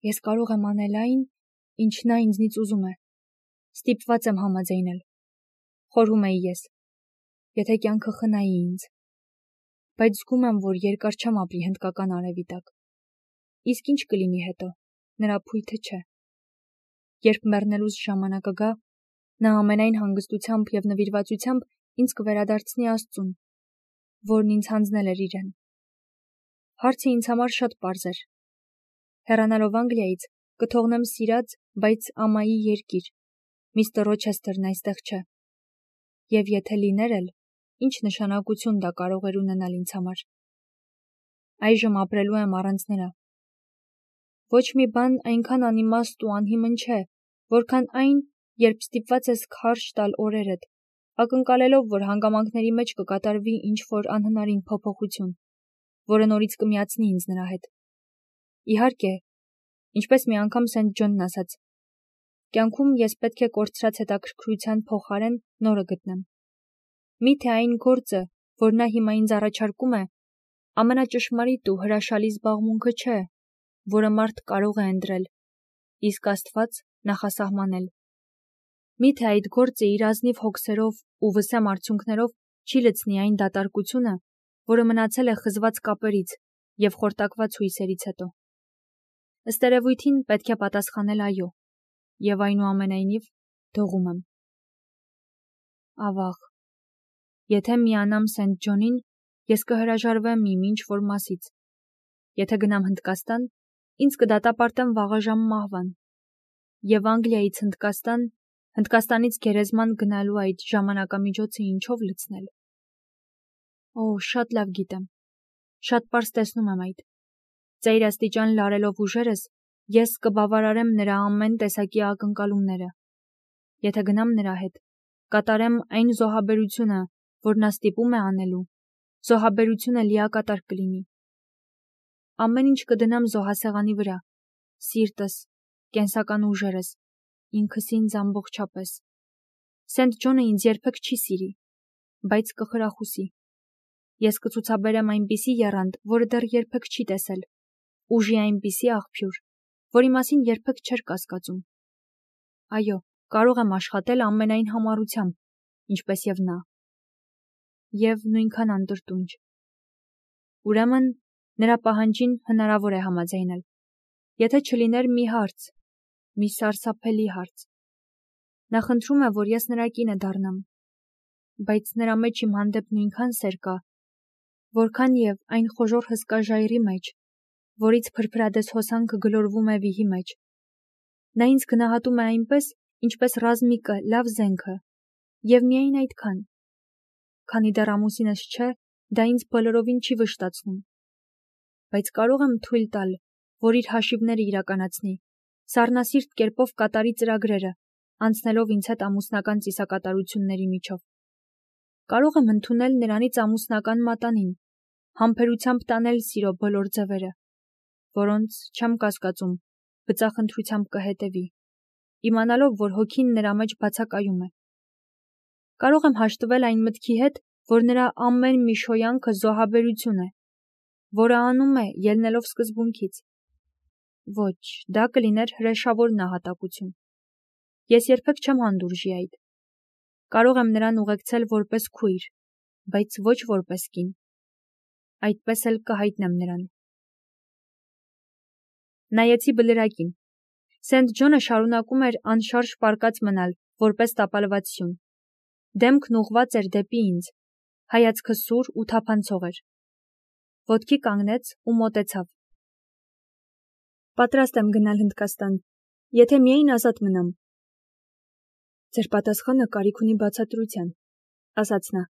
Ես կարող եմ անել այն, ինչ նա ինձնից ուզում է։ Ստիպված եմ համաձայնել։ Խորհում էի ես, եթե կյանքը խնայի ինձ։ Բայց զգում եմ, որ երկար չեմ ապրի հնդկական արևի տակ։ Իսկ ինչ կլինի հետո, նրա փույթը չէ։ Երբ մեռնելուս ժամանակը գա, նա ամենայն հանգստությամբ և նվիրվածությամբ ինձ կվերադարձնի Աստծուն, որն ինձ հանձնել էր իրեն։ Հարցը ինձ համար շատ պարզ էր։ Հեռանալով Անգլիայից կթողնեմ սիրած, բայց ամայի երկիր, միստր Ռոչեսթերն այստեղ չէ։ Եվ եթե լիներ էլ, ինչ նշանակություն դա կարող էր ունենալ ինձ համար։ Այժմ ապրելու եմ առանց նրա։ Ոչ մի բան այնքան անիմաստ ու անհիմն չէ, որքան այն, երբ ստիպված ես քարշ տալ օրերդ, ակնկալելով, որ հանգամանքների մեջ կկատարվի ինչ-որ անհնարին փոփոխություն, որը նորից կմիացնի ինձ նրա հետ։ Իհարկե, ինչպես մի անգամ Սենթ Ջոնն ասաց, կյանքում ես պետք է կորցրած հետաքրքրության փոխարեն նորը գտնեմ։ Միթե այն գործը, որ նա հիմա ինձ առաջարկում է, ամենաճշմարիտ ու հրաշալի զբաղմունքը չէ, որը մարդ կարող է ընտրել, իսկ Աստված նախասահմանել։ Միթե այդ գործը իր ազնիվ հոգսերով ու վսեմ արդյունքներով չի լցնի այն դատարկությունը, որը մնացել է խզված կապերից և խորտակված հույսերից հետո։ Ըստ երևույթին պետք է պատասխանել այո, և այնուամենայնիվ դողում եմ։ Ավաղ, եթե միանամ Սենթ Ջոնին, ես կհրաժարվեմ իմ ինչ-որ մասից։ Եթե գնամ Հնդկաստան, ինձ կդատապարտեն վաղաժամ մահվան։ Եվ Անգլիայից Հնդկաստան, Հնդկաստանից գերեզման գնալու այդ ժամանակամիջոցը ինչով լցնել։ Օ, շատ լավ գիտեմ։ Շատ պարզ տեսնում եմ այդ։ Ծայրաստիճան լարելով ուժերս, ես կբավարարեմ նրա ամեն տեսակի ակնկալումները։ Եթե գնամ նրա հետ, կատարեմ այն զոհաբերությունը, որ նա ստիպում է անելու, զոհաբերությունը լիակատար կլինի։ Ամեն ինչ կդնեմ զոհասեղանի վրա, սիրտս, կենսական ուժերս, ինքս ինձ ամբողջապես։ Սենթ Ջոնը ինձ երբեք չի սիրի, բայց կխրախուսի։ Ես կցուցաբերեմ այնպիսի եռանդ, որը դեռ երբեք չի տեսել, ուժի այնպիսի աղբյուր, որի մասին երբեք չէր կասկածում։ Այո, կարող եմ աշխատել ամենայն համառությամբ, ինչպես և նա։ Եվ նույնքան անտրտունջ։ Ուրեմն, նրա պահանջին հնարավոր է համաձայնել, եթե չլիներ մի հարց, մի սարսափելի հարց։ Նա խնդրում է, որ ես նրա կինը դառնամ, բայց նրա մեջ իմ հանդեպ նույնքան սեր կա, որքան և այն խոժոռ հսկա ժայռի մեջ, որից փրփրադես հոսանքը գլորվում է վիհի մեջ։ Նա ինձ գնահատում է այնպես, ինչպես ռազմիկը լավ զենքը, և միայն այդքան։ Քանի դեռ ամուսինս չէ, դա ինձ բոլորովին չի վշտացնում։ Բայց կարող եմ թույլ տալ, որ իր հաշիվները իրականացնի, սառնասիրտ կերպով կատարի ծրագրերը, անցնելով ինձ հետ ամուսնական ծիսակատարությունների միջով։ Կարող եմ ընդունել նրանից ամուսնական մատանին, համբերությամբ տանել սիրո բոլոր ձևերը, որոնց չեմ կասկածում, բծախնդրությամբ կհետևի, իմանալով, որ հոգին նրա մեջ բացակայում է։ Կարող եմ հաշտվել այն մտքի հետ, որ նրա ամեն մի շոյանքը զոհաբերություն է, որը անում է ելնելով սկզբունքից։ Ոչ, դա կլիներ հրեշավոր նահատակություն։ Ես երբեք չեմ հանդուրժի այդ։ Կարող եմ նրան ուղեկցել որպես քույր, բայց ոչ որպես կին։ Այդպես էլ կհայտնեմ նրան։ Նայեցի բլրակին։ Սենթ Ջոնը շարունակում էր անշարժ պառկած մնալ, որպես տապալված սյուն։ Դեմքն ուղղված էր դեպի ինձ, հայացքը սուր ու թափանցող էր։ Ոտքի կանգնեց ու մոտեցավ։ Պատրաստ եմ գնալ Հնդկաստան, եթե միայն ազատ մնամ։ Ձեր պատասխանը կարիք ունի բացատրության, ասաց նա։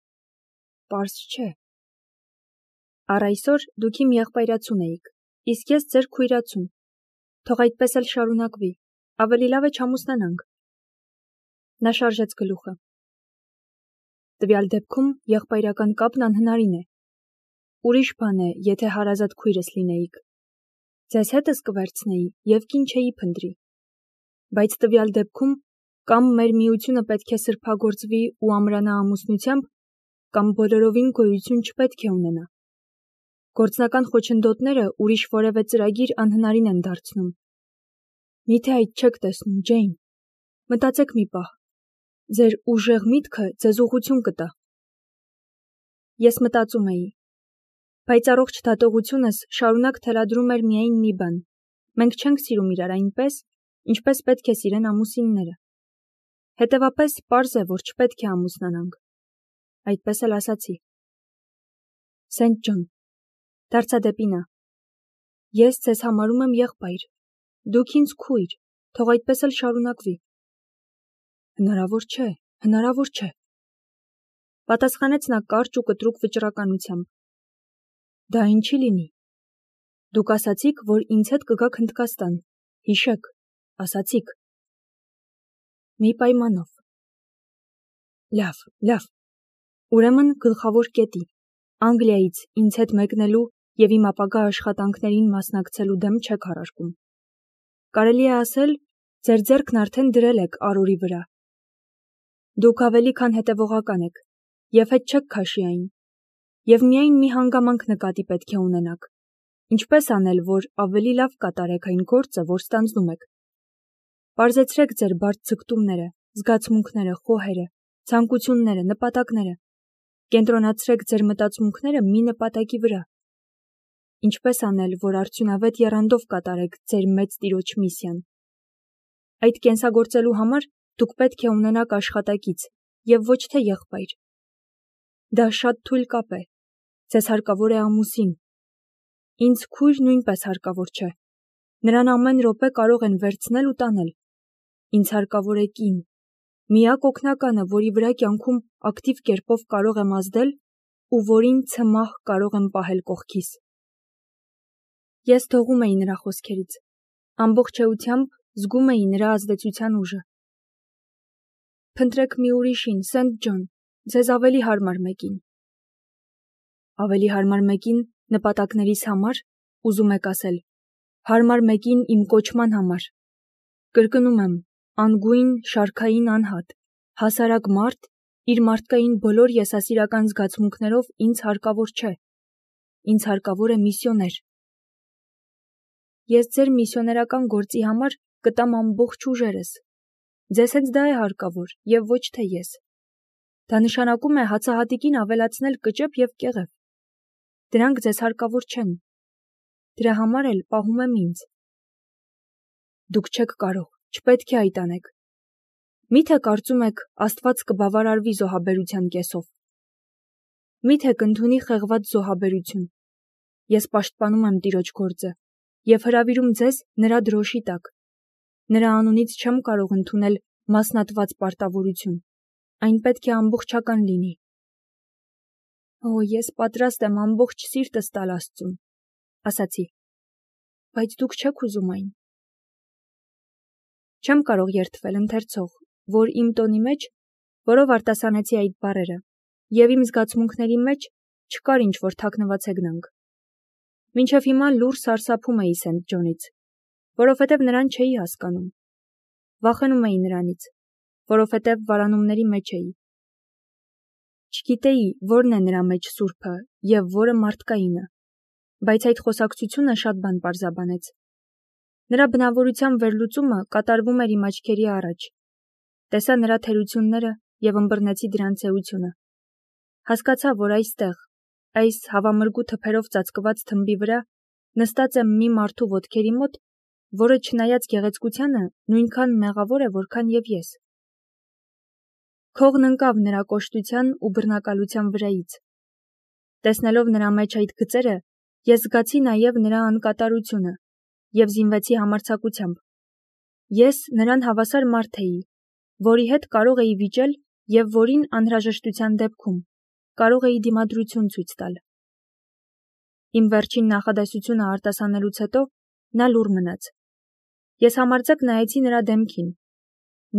Պարզ չէ։ Առ այսօր դուք իմ եղբայրացուն էիք, իսկ ես ձեր քույրացուն։ Թող այդպես էլ շարունակվի, ավելի լավ է չամուսնանանք։ Նա շարժեց գլուխը։ Տվյալ դեպքում եղբայրական կապն անհնարին է։ Ուրիշ բան է, եթե հարազատ քույրս լինեիք։ Ձեզ հետս կվերցնեի և կին չէի փնտրի։ Բայց տվյալ դեպքում կամ մեր միությունը պետք է սրբագործվի ու ամրանա ամուսնությամբ, կամ բոլորովին գոյություն չպետք է ունենա։ Գործնական խոչընդոտները ուրիշ որևէ ծրագիր անհնարին են դարձնում։ Միթե այդ չեք տեսնում, Ջեյն, մտածեք մի պահ, ձեր ուժեղ միտքը ձեզ ուղղություն կտա։ Ես մտածում էի, բայց առողջ դատողությունս շարունակ թելադրում էր միայն մի բան. մենք չենք սիրում իրար այնպես, ինչպես պետք է սիրեն ամուսինները։ Հետևապես պարզ է, որ չպետք է ամուսնանանք։ Այդպես էլ ասացի։ Սենթ Ջոն, դարձա դեպի նա։ Ես ձեզ համարում եմ եղբայր, դուք ինձ քույր, թող այդպես էլ շարունակվի։ Հնարավոր չէ, պատասխանեց նա կարճ ու կտրուկ վճռականությամբ։ Դա ինչի լինի։ Դուք ասացիք, որ ինձ հետ կգաք Հնդկաստան, հիշեք, ասացիք։ Մի պայմանով։ Լավ, ուրեմն գլխավոր կետի, Անգլիայից ինձ հետ մեկնելու և իմ ապագա աշխատանքներին մասնակցելու դեմ չեք հարարկում։ Կարելի է ասել, ձեր ձեռքն արդեն դրել եք արորի վրա։ Դուք ավելի քան հետևողական եք, և հետ չեք քաշի այն, և միայն մի հանգամանք նկատի պետք է ունենաք, ինչպես անել, որ ավելի լավ կատարեք այն գործը, որ ստանձնում եք։ Պարզեցրեք ձեր բարդ ձգտումները, զգացմունքները, խոհերը, ցանկությունները, նպատակները, կենտրոնացրեք ձեր մտածմունքները մի նպատակի վրա։ Ինչպես անել, որ արդյունավետ եռանդով կատարեք ձեր մեծ տիրոջ միսիան։ Այդ կենսագործելու համար դուք պետք է ունենաք աշխատակից և ոչ թե եղբայր։ Դա շատ թույլ կապ է, ձեզ հարկավոր է ամուսին։ Ինձ քույր նույնպես հարկավոր չէ, նրան ամեն րոպե կարող են վերցնել ու տանել։ Ինձ հարկավոր է կին, միակ օգնականը, որի վրա կյանքում ակտիվ կերպով կարող եմ ազդել ու որին ցմահ կարող եմ պահել կողքիս։ Ես դողում էի նրա խոսքերից, ամբողջ էությամբ զգում էի նրա ազդեցության ուժը։ Փնտրեք մի ուրիշին, Սենթ Ջոն, ձեզ ավելի հարմար մեկին։ Ավելի հարմար մեկին նպատակներիս համար, ուզում եք ասել, հարմար մեկին իմ կոչման համար։ Կրկնում եմ, անգույն, շարքային անհատ, հասարակ մարդ, իր մարդկային բոլոր եսասիրական զգացմունքներով ինձ հարկավոր չէ։ Ինձ հարկավոր է միսիոներ։ Ես ձեր միսիոներական գործի համար կտամ ամբողջ ուժերս։ Ձեզ հենց դա է հարկավոր, և ոչ թե ես։ Դա նշանակում է հացահատիկին ավելացնել կճեպ և կեղև։ Դրանք ձեզ հարկավոր չեն։ Դրա համար էլ պահում եմ ինձ։ Դուք չեք կարող, չպետք է այդ անեք։ Միթե կարծում եք, Աստված կբավարարվի զոհաբերության կեսով։ Միթե կընդունի խեղված զոհաբերություն։ Ես պաշտպանում եմ տիրոջ գործը և հրավիրում ձեզ նրա դրոշի տակ։ Նրա անունից չեմ կարող ընդունել մասնատված պարտավորություն։ Այն պետք է ամբողջական լինի։ Ես պատրաստ եմ ամբողջ սիրտս տալ Աստծուն, ասացի, բայց դուք չեք ուզում այն։ Չեմ կարող երդվել ընթերցող, որ իմ տոնի մեջ, որով արտասանեցի այդ բառերը, և իմ զգացմունքների մեջ չկար ինչ-որ թաքնված հեգնանք։ Մինչև հիմա լուռ սարսափում էի Սենթ Ջոնից, որովհետև նրան չէի հասկանում։ Վախենում էի նրանից, որովհետև վարանումների մեջ էի։ Չգիտեի, որն է նրա մեջ սուրբը և որը մարդկայինը, բայց այդ խոսակցությունը շատ բան պարզաբանեց։ Նրա բնավորության վերլուծումը կատարվում էր իմ աչքերի առաջ։ Տեսա նրա թերությունները և ըմբռնեցի դրանց էությունը։ Հասկացա, որ այստեղ, այս հավամրգու թփերով ծածկված թմբի վրա, նստած եմ մի մարդու ոտքերի մոտ, որը չնայած գեղեցկությանը նույնքան մեղավոր է, որքան և ես։ Քողն ընկավ նրա կոշտության ու բռնակալության վրայից։ Տեսնելով նրա մեջ այդ գծերը, ես զգացի նաև նրա անկատարությունը և զինվեցի համարձակությամբ։ Ես նրան հավասար մարդ էի, որի հետ կարող էի վիճել և որին անհրաժեշտության դեպքում կարող էի դիմադրություն ցույց տալ։ Իմ վերջին նախադասությունը արտասանելուց հետո նա լուռ մնաց։ Ես համարձակ նայեցի նրա դեմքին։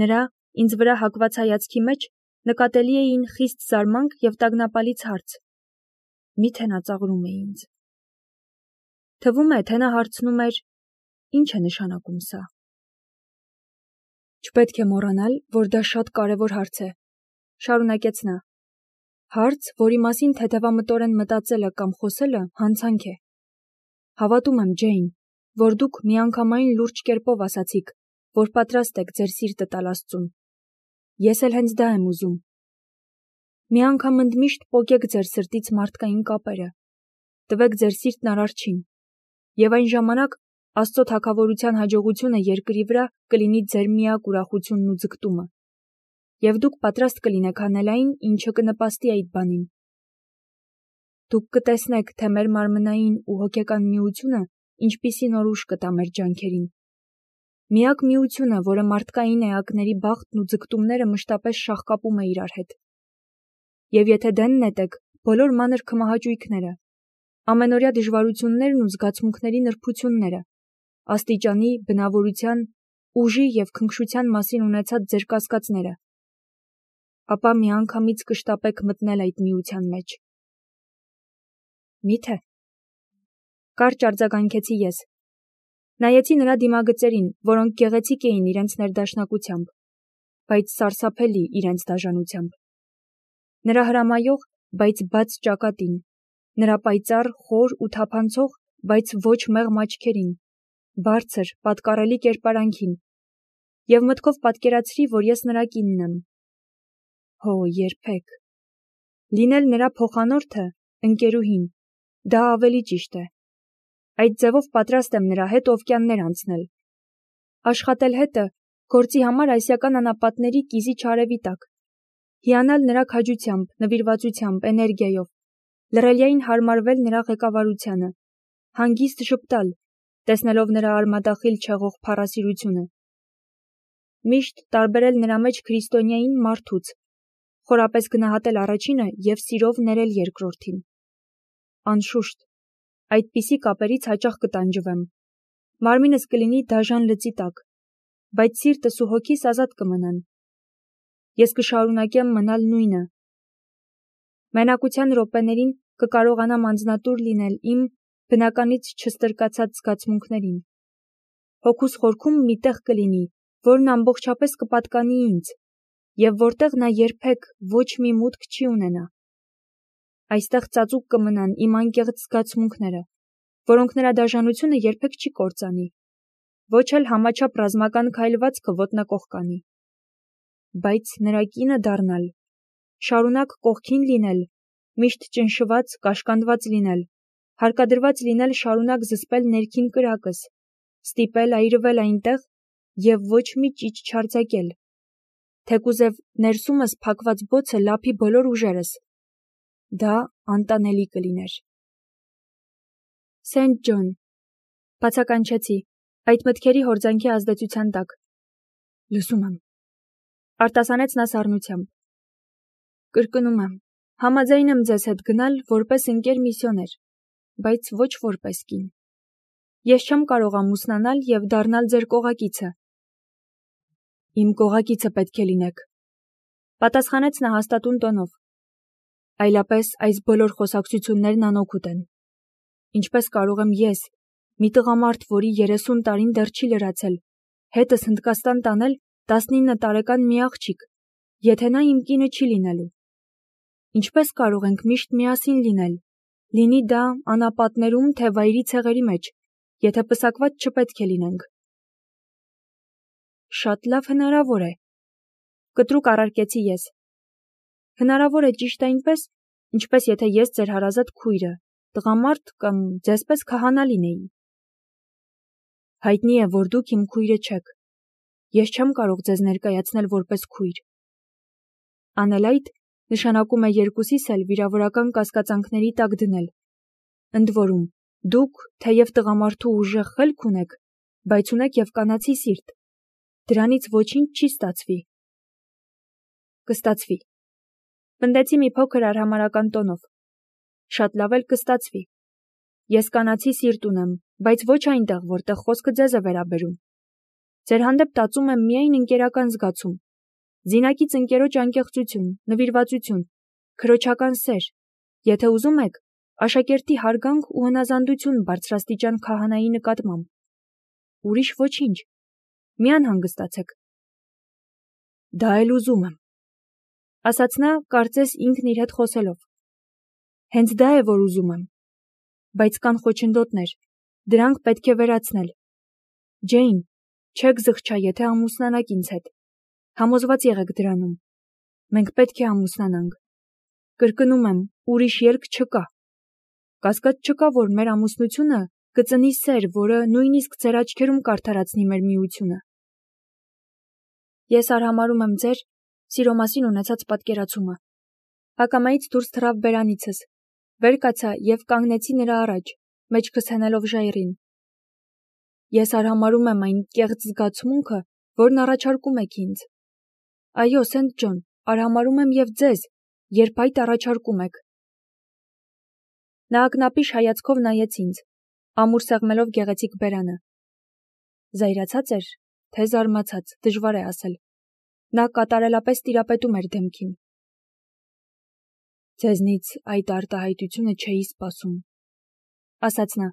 Նրա ինձ վրա հակված հայացքի մեջ նկատելի էին խիստ զարմանք և տագնապալից հարց։ Միթե նա ծաղրում է ինձ։ Թվում է, թե նա հարցնում էր. «Ինչ է նշանակում սա»։ Չպետք է մոռանալ, որ դա շատ կարևոր հարց է, շարունակեց նա։ Հարց, որի մասին թեթևամտորեն մտածելը կամ խոսելը հանցանք է։ Հավատում եմ, Ջեյն, որ դուք միանգամայն լուրջ կերպով ասացիք, որ պատրաստ եք ձեր սիրտը տալ Աստծուն։ Ես էլ հենց դա եմ ուզում։ Մի անգամ ընդմիշտ պոկեք ձեր սրտից մարդկային կապերը, տվեք ձեր սիրտն Արարչին, եւ այն ժամանակ Աստծո թագավորության հաջողությունը երկրի վրա կլինի ձեր միակ ուրախությունն ու ձգտումը, եւ դուք պատրաստ կլինեք անել այն, ինչը կնպաստի այդ բանին։ Դուք կտեսնեք, թե մեր մարմնային ու հոգեկան միությունը ինչպիսի նոր ուժ կտա մեր ջանքերին։ Միակ միությունը, որը մարդկային էակների բախտն ու ձգտումները մշտապես շաղկապում է իրար հետ։ Եվ եթե դեն նետեք բոլոր մանր քմահաճույքները, ամենօրյա դժվարություններն ու զգացմունքների նրբությունները, աստիճանի, բնավորության, ուժի եւ քնքշության մասին ունեցած ձեր կասկածները, ապա միանգամից կշտապեք մտնել այդ միության մեջ։ Միթե։ Կարճ արձագանքեցի ես։ Նայեցի նրա դիմագծերին, որոնք գեղեցիկ էին իրենց ներդաշնակությամբ, բայց սարսափելի իրենց դաժանությամբ։ Նրա հրամայող, բայց բաց ճակատին, նրա պայծառ, խոր ու թափանցող, բայց ոչ մեղմ աչքերին, բարձր, պատկառելի կերպարանքին, եւ մտքով պատկերացրի, որ ես նրա կինն եմ։ Հո, երբեք։ Լինել նրա փոխանորդը, ընկերուհին, դա ավելի ճիշտ է։ Այդ ձևով պատրաստ եմ նրա հետ օվկիաններ անցնել։ Աշխատել հետը գործի համար ասիական անապատների կիզիչ արևի տակ, հիանալ նրա քաջությամբ, նվիրվածությամբ, էներգիայով, լռելիային հարմարվել նրա ղեկավարությանը, հանգիստ ժպտալ, տեսնելով նրա արմատախիլ չեղող փառասիրությունը։ Միշտ տարբերել նրա մեջ քրիստոնյային մարդուց, խորապես գնահատել առաջինը եւ սիրով ներել երկրորդին։ Անշուշտ, այդպիսի կապերից հաճախ կտանջվեմ։ Մարմինս կլինի դաժան լծի տակ, բայց սիրտս ու հոգիս ազատ կմնան։ Ես կշարունակեմ մնալ նույնը։ Մենակության րոպեներին կկարողանամ անձնատուր լինել իմ բնականից չստրկացած զգացմունքներին։ Հոգուս խորքում մի տեղ կլինի, որն ամբողջապես կպատկանի ինձ, եւ որտեղ նա երբեք ոչ մի մուտք չի ունենա։ Այստեղ ծածուկ կմնան իմ անկեղծ զգացմունքները, որոնք նրա դաժանությունը երբեք չի կործանի, ոչ էլ համաչափ ռազմական քայլվածքը ոտնակող կանի։ Բայց նրա կինը դառնալ, շարունակ կողքին լինել, միշտ ճնշված, կաշկանդված լինել, հարկադրված լինել շարունակ զսպել ներքին կրակս, ստիպել այրվել այնտեղ եւ ոչ մի ճիչ չարձակել, թեկուզև ներսումս փակված բոցը լափի բոլոր ուժերս, դա անտանելի կլիներ։ Սենթ Ջոն, բացականչեցի, այդ մտքերի հորձանքի ազդեցության տակ։ Լսում եմ, արտասանեց նա սառնությամբ։ Կրկնում եմ, համաձայն եմ ձեզ հետ գնալ որպես ընկեր միսիոներ, բայց ոչ որպես կին։ Ես չեմ կարող ամուսնանալ եւ դառնալ ձեր կողակիցը։ Իմ կողակիցը պետք է լինեք, պատասխանեց նա հաստատուն տոնով։ Այլապես այս բոլոր խոսակցություններն անօգուտ են։ Ինչպես կարող եմ ես, մի տղամարդ, որի 30 տարին դեռ չի լրացել, հետս Հնդկաստան տանել 19 տարեկան մի աղջիկ, եթե նա իմ կինը չի լինելու։ Ինչպես կարող ենք միշտ միասին լինել, լինի դա անապատներում, թե վայրի ցեղերի մեջ, եթե պսակված չպետք է լինենք։ Շատ լավ հնարավոր է, կտրուկ առարկեցի ես։ Հնարավոր է ճիշտ այնպես, ինչպես եթե ես ձեր հարազատ քույրը, տղամարդ կամ ձեզպես քահանա լինեի։ Հայտնի է, որ դուք իմ քույրը չեք։ Ես չեմ կարող ձեզ ներկայացնել որպես քույր։ Անել այդ նշանակում է երկուսիս էլ վիրավորական կասկածանքների տակ դնել։ Ընդ որում, դուք, թեև տղամարդու ուժեղ խելք ունեք, բայց ունեք եւ կանացի սիրտ։ Դրանից ոչինչ չի ստացվի։ Կստացվի։ Պնդեցի մի փոքր արհամարհական տոնով։ Շատ լավ էլ կստացվի։ Ես կանացի սիրտ ունեմ, բայց ոչ այնտեղ, որտեղ խոսքը ձեզ է վերաբերում։ Ձեր հանդեպ տածում եմ միայն ընկերական զգացում, զինակից ընկերոջ անկեղծություն, նվիրվածություն, քրոջական սեր, եթե ուզում եք, աշակերտի հարգանք ու հնազանդություն բարձրաստիճան քահանայի նկատմամբ։ Ուրիշ ոչինչ։ Մի անհանգստացեք։ Դա էլ ուզում եմ, ասաց նա, կարծես ինքն իր հետ խոսելով։ Հենց դա է, որ ուզում եմ։ Բայց կան խոչընդոտներ, դրանք պետք է վերացնել։ Ջեյն, Չեք զղջա, եթե ամուսնանաք ինձ հետ։ Համոզված եղեք դրանում։ Մենք պետք է ամուսնանանք։ Կրկնում եմ, ուրիշ ելք չկա։ Կասկած չկա, որ մեր ամուսնությունը կծնի սեր, որը նույնիսկ ձեր աչքերում կարդարացնի մեր միությունը։ Ես արհամարհում եմ ձեր սիրո մասին ունեցած պատկերացումը։ Ակամայից դուրս թռավ բերանիցս, վեր կացա և կանգնեցի նրա առաջ, մեջքս հենելով ժայռին։ Ես արհամարհում եմ այն կեղծ զգացմունքը, որն առաջարկում եք ինձ։ Այո, Սենթ Ջոն, արհամարհում եմ և ձեզ, երբ այդ առաջարկում եք։ Նա ակնապիշ հայացքով նայեց ինձ, ամուր սեղմելով գեղեցիկ բերանը։ Զայրացած էր, թե զարմացած, դժվար է ասել։ Նա կատարելապես տիրապետում էր դեմքին։ Ձեզնից այդ արտահայտությունը չէի սպասում, ասաց նա։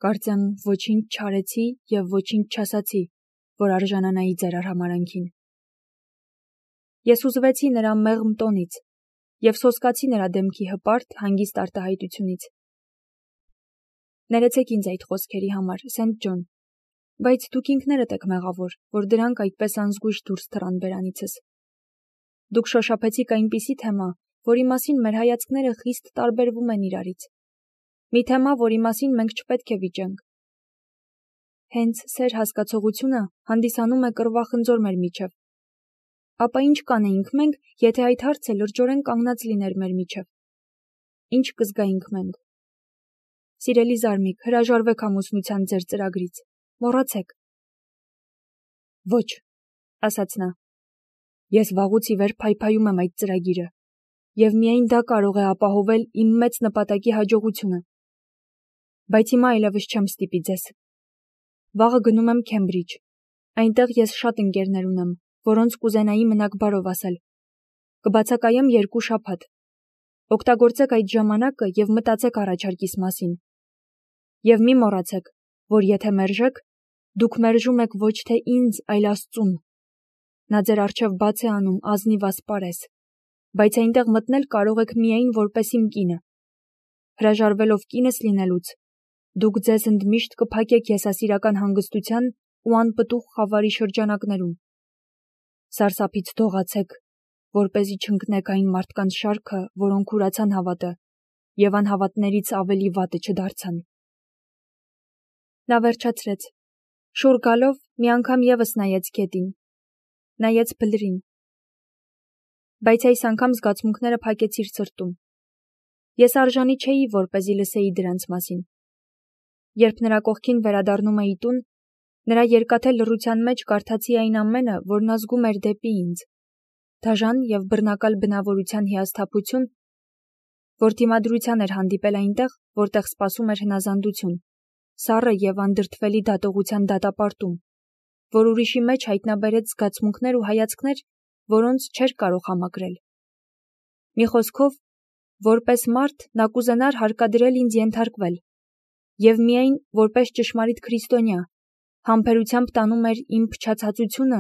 Կարծեմ ոչինչ չարեցի և ոչինչ չասացի, որ արժանանայի ձեր արհամարհանքին։ Ես հուզվեցի նրա մեղմ տոնից և սոսկացի նրա դեմքի հպարտ, հանգիստ արտահայտությունից։ Ներեցեք ինձ այդ խոսքերի համար, Սենթ Ջոն, բայց դուք ինքներդ եք մեղավոր, որ դրանք այդպես անզգույշ դուրս թռան բերանիցս։ Դուք շոշափեցիք այնպիսի թեմա, որի մասին մեր հայացքները խիստ տարբերվում են իրարից։ Մի թեմա, որի մասին մենք չպետք է վիճենք։ Հենց սեր հասկացողությունը հանդիսանում է կռվախնձոր մեր միջև։ Ապա ինչ կանեինք մենք, եթե այդ հարցը լրջորեն կանգնած լիներ մեր միջև։ Ինչ կզգայինք մենք։ Սիրելի զարմիկ, հրաժարվեք ամուսնության ձեր ծրագրից։ Մոռացեք։ Ոչ, ասաց նա։ Ես վաղուց ի վեր փայփայում եմ այդ ծրագիրը, և միայն դա կարող է ապահովել իմ մեծ նպատակի հաջողությունը։ Բայց հիմա այլևս չեմ ստիպի ձեզ։ Վաղը գնում եմ Քեմբրիջ։ Այնտեղ ես շատ ընկերներ ունեմ, որոնց կուզենայի մնաք բարով ասել։ Կբացակայեմ 2 շաբաթ։ Օգտագործեք այդ ժամանակը և մտածեք առաջարկիս մասին։ Եվ մի մոռացեք, որ եթե մերժեք, դուք մերժում եք ոչ թե ինձ, այլ Աստծուն։ Նա ձեր առջև բաց է անում ազնիվ ասպարեզ, բայց այնտեղ մտնել կարող եք միայն որպես իմ կինը։ Հրաժարվելով կինս լինելուց, դուք ձեզ ընդմիշտ կփակեք եսասիրական հանգստության ու անպտուղ խավարի շրջանակներում։ Սարսափից դողացեք, որպեսզի չընկնեք այն մարդկանց շարքը, որոնք ուրացան հավատը և անհավատներից ավելի վատը չդարձան։ Նա վերջացրեց։ Շուռ գալով մի անգամ ևս նայեց գետին, նայեց բլրին։ Բայց այս անգամ զգացմունքները փակեցիր սրտում։ Ես արժանի չէի, որպեսզի լսեի դրանց մասին։ Երբ նրա կողքին վերադառնում էի տուն, նրա երկաթե լռության մեջ կարդացի այն ամենը, որն ազգում էր դեպի ինձ, դաժան և բռնակալ բնավորության հիասթափություն, որ դիմադրության էր հանդիպել այնտեղ, որտեղ սպասում էր հնազանդություն, սառը և անդրդվելի դատողության դատապարտում, որ ուրիշի մեջ հայտնաբերեց զգացմունքներ ու հայացքներ, որոնց չէր կարող համակրել։ Մի խոսքով, որպես մարդ նա կուզենար հարկադրել ինձ ենթարկվել, և միայն որպես ճշմարիտ քրիստոնյա, համբերությամբ տանում էր իմ փչացածությունը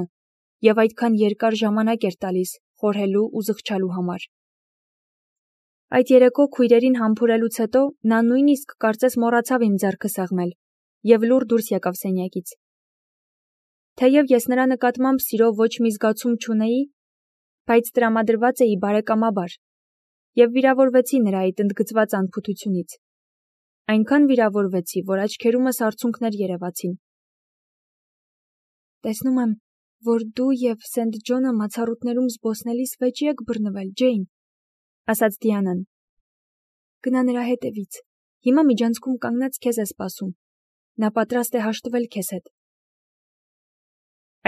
և այդքան երկար ժամանակ էր տալիս խորհելու ու զղջալու համար։ Այդ երեկո քույրերին համբուրելուց հետո նա նույնիսկ կարծես մոռացավ իմ ձեռքը սեղմել և լուռ դուրս եկավ սենյակից։ Թեև ես նրա նկատմամբ սիրո ոչ մի զգացում չունեի, բայց տրամադրված էի բարեկամաբար և վիրավորվեցի նրա այդ ընդգծված անփութությունից։ Այնքան վիրավորվեցի, որ աչքերումս արցունքներ երևացին։ Տեսնում եմ, որ դու և Սենթ Ջոնը մացառուտներում զբոսնելիս վեճի եք բռնվել, Ջեյն, ասաց Դիանան։ Գնա նրա հետևից, հիմա միջանցքում կանգնած քեզ է սպասում։ Նա պատրաստ է հաշտվել քեզ հետ։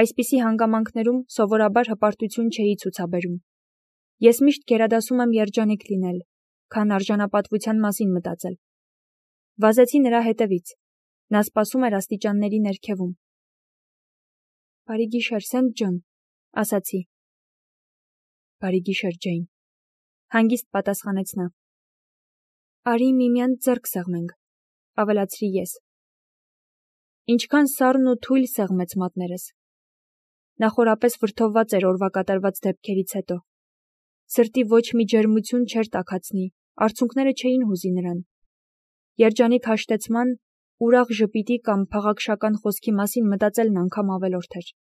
Այսպիսի հանգամանքներում սովորաբար հպարտություն չէի ցուցաբերում։ Ես միշտ գերադասում եմ երջանիկ լինել, քան արժանապատվության մասին մտածել։ Վազեցի նրա հետևից։ Նա սպասում էր աստիճանների ներքևում։ Բարի գիշեր, Սենթ Ջոն, ասացի։ Բարի գիշեր, Ջեյն, հանգիստ պատասխանեց նա։ Արի միմյանց ձեռք սեղմենք, ավելացրի ես։ Ինչքան սառն ու թույլ սեղմեց մատներս։ Նա խորապես վրդովված էր օրվա կատարված դեպքերից հետո։ Սրտի ոչ մի ջերմություն չէր տաքացնի, արցունքները չէին հուզի նրան։ Երջանիկ հաշտեցման ուրախ ժպիտի կամ փաղաքշական խոսքի մասին մտածելն անգամ ավելորդ էր։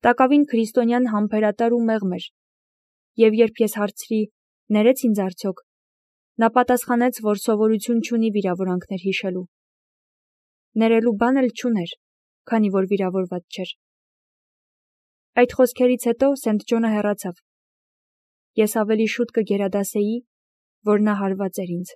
Տակավին քրիստոնյան համբերատար ու մեղմ էր, և երբ ես հարցրի, ներեց ինձ արդյոք, նա պատասխանեց, որ սովորություն չունի վիրավորանքներ հիշելու։ Ներելու բան էլ չուներ, քանի որ վիրավորված չէր։ Այդ խոսքերից հետո Սենթ Ջոնը հեռացավ։ Ես ավելի շուտ կգերադասեի, որ նա հարված էր ինձ։